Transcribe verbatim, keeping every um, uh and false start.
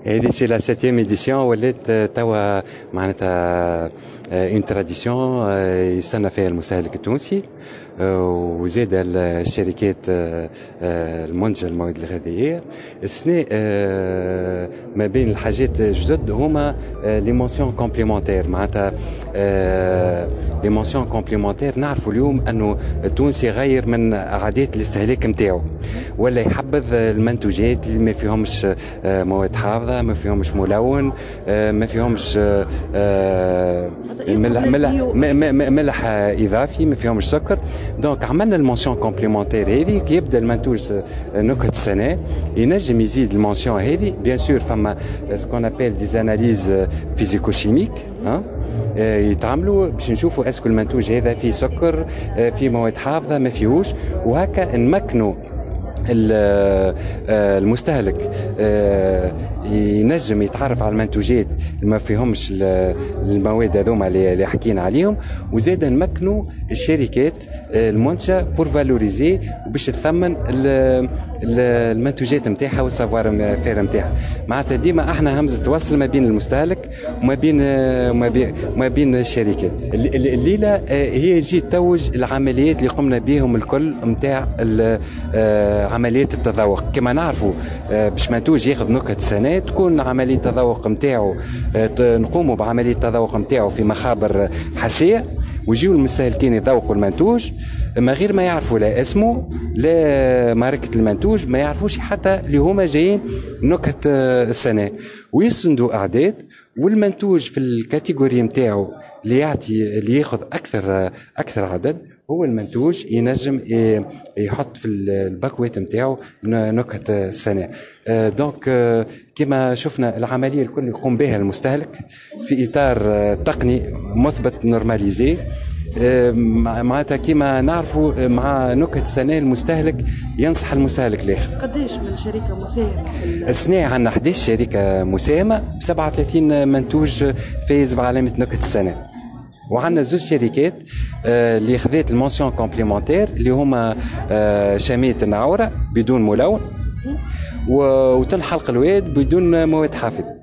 هذه c'est la septième édition، ولات توا معناتها une tradition يستنى فيها المستهلك التونسي وزاد الشركات المنتجة المواد الغذائية. السنة ما بين الحاجات الجدد هما les mentions complémentaires. معناتها les mentions complémentaires، نعرفوا اليوم انه التونسي غير من عادات الاستهلاك نتاعو، ولا يحبذ المنتوجات اللي ما فيهمش مواد حافظه، ما فيهمش ملون، ما فيهمش ملح ملح ملح اضافي، ما فيهمش سكر. donc عملنا ال mention complémentaire هذه، كي يبدا المنتوج نكهة السنة ينجم يزيد ال mention هذه. bien sûr فما ce qu'on appelle des analyses physico-chimiques ها يتعملوا باش نشوفوا est-ce que المنتوج هذا فيه سكر، فيه مواد حافظه، ما فيهوش، وهكا نمكنوا المستهلك ينجم يتعرف على المنتوجات اللي ما فيهمش المواد هذوما اللي حكينا عليهم، وزاد نمكنوا الشركات المنتجة pour valoriser وباش تثمن المنتوجات نتاعها وال savoir-faire نتاعها. معناتها ديما احنا همزه وصل ما بين المستهلك وما بين وما بين وما بين الشركات. الليلة هي جي توج العمليات اللي قمنا بهم الكل نتاع عمليات التذوق. كما نعرفوا، باش منتوج ياخذ نكهة السنة تكون عملية التذوق نتاعو، نقوموا بعملية التذوق نتاعو في مخابر حسيه، ويجيو المستهلكين يذوقوا المنتوج ما غير ما يعرفوا لا اسمه لا ماركة المنتوج، ما يعرفوش حتى اللي هما جايين نكهة السنة، ويسندوا أعداد، والمنتوج في ال catégorie نتاعو اللي يعطي اللي ياخذ اكثر اكثر عدد هو المنتوج ينجم يحط في الباكوات نتاعو نكهة السنة. donc كما شفنا، العملية الكل يقوم بها المستهلك في إطار تقني مثبت normalisé. معناتها كما نعرفوا، مع نكهة السنة المستهلك ينصح المستهلك الآخر. قديش من شركة مساهمة؟ السنة عندنا إحداش شركة مساهمة ب سبعة وثلاثين منتوج فايز بعلامة نكهة السنة، وعندنا زوج شركات آه، اللي خذات ال mention complémentaire، اللي هما آه، شامية النعورة بدون ملون وتن حلق الواد بدون مواد حافظة.